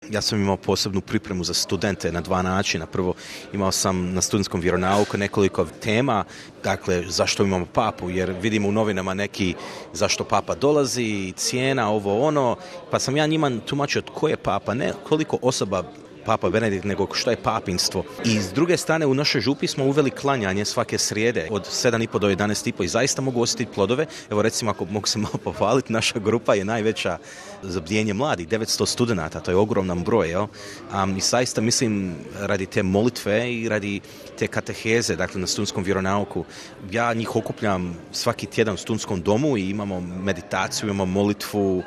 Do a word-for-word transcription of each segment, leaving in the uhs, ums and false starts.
ja sam imao posebnu pripremu za studente na dva načina. Prvo, imao sam na studentskom vjeronauku nekoliko tema, dakle, zašto imamo papu, jer vidimo u novinama neki zašto papa dolazi, cijena, ovo ono, pa sam ja njima tumačio tko je papa, ne koliko osoba Papa Benedikt, nego što je papinstvo. I s druge strane, u našoj župi smo uveli klanjanje svake srijede od sedam i po do jedanaest i po i zaista mogu osjetiti plodove. Evo recimo, ako mogu se malo pohvaliti, naša grupa je najveća za bdijenje mladih, devetsto studenata, to je ogroman broj. Jel? Um, I zaista mislim, radi te molitve i radi te kateheze, dakle na studentskom vjeronauku, ja njih okupljam svaki tjedan u studentskom domu i imamo meditaciju, imamo molitvu,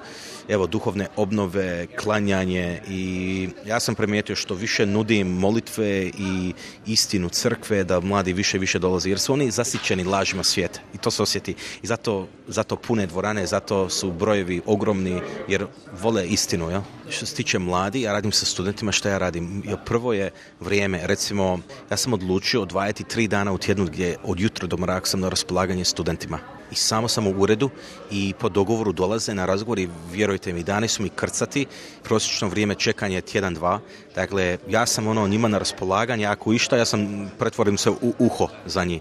evo, duhovne obnove, klanjanje i ja sam primijetio što više nudim molitve i istinu crkve da mladi više i više dolaze jer su oni zasićeni lažima svijeta i to se osjeti i zato, zato pune dvorane, zato su brojevi ogromni jer vole istinu. Jel? Što se tiče mladi, ja radim sa studentima, što ja radim? Jo, prvo je vrijeme, recimo ja sam odlučio odvajati tri dana u tjednu gdje od jutra do mraka sam na raspolaganje studentima. I samo sam u uredu i po dogovoru dolaze na razgovor i vjerujte mi, dani su mi krcati, prosječno vrijeme čekanja je tjedan, dva. Dakle, ja sam ono njima na raspolaganje, ako išta, ja sam pretvorim se u uho za njih.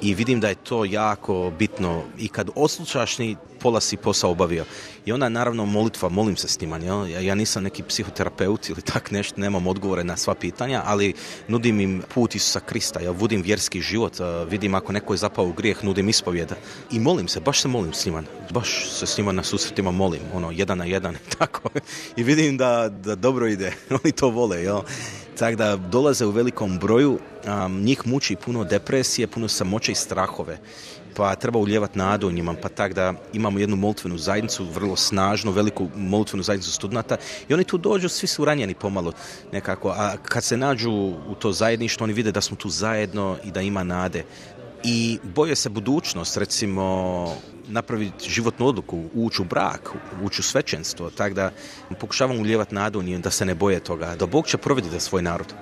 I vidim da je to jako bitno i kad odslušaš ni pola si posao obavio. I onda naravno molitva, molim se s njima. Ja, ja nisam neki psihoterapeut ili tak nešto, nemam odgovore na sva pitanja, ali nudim im put Isusa Krista. Ja vodim vjerski život, vidim ako neko je zapao u grijeh, nudim ispovjeda. I molim se, baš se molim s njima. Baš se s njima na susretima molim, ono, jedan na jedan, tako. I vidim da, da dobro ide. Oni to vole, jel? Tako da dolaze u velikom broju, um, njih muči puno depresije, puno samoće i strahove. Pa treba ulijevati nadu u njima, pa tako da imamo jednu molitvenu zajednicu, vrlo snažnu, veliku molitvenu zajednicu studenata i oni tu dođu, svi su ranjeni pomalo nekako, a kad se nađu u to zajedništvo, oni vide da smo tu zajedno i da ima nade. I boje se budućnost, recimo napraviti životnu odluku, ući u brak, ući u svećenstvo, tako da pokušavam ulijevati nadu u njim da se ne boje toga, da Bog će provoditi svoj narod.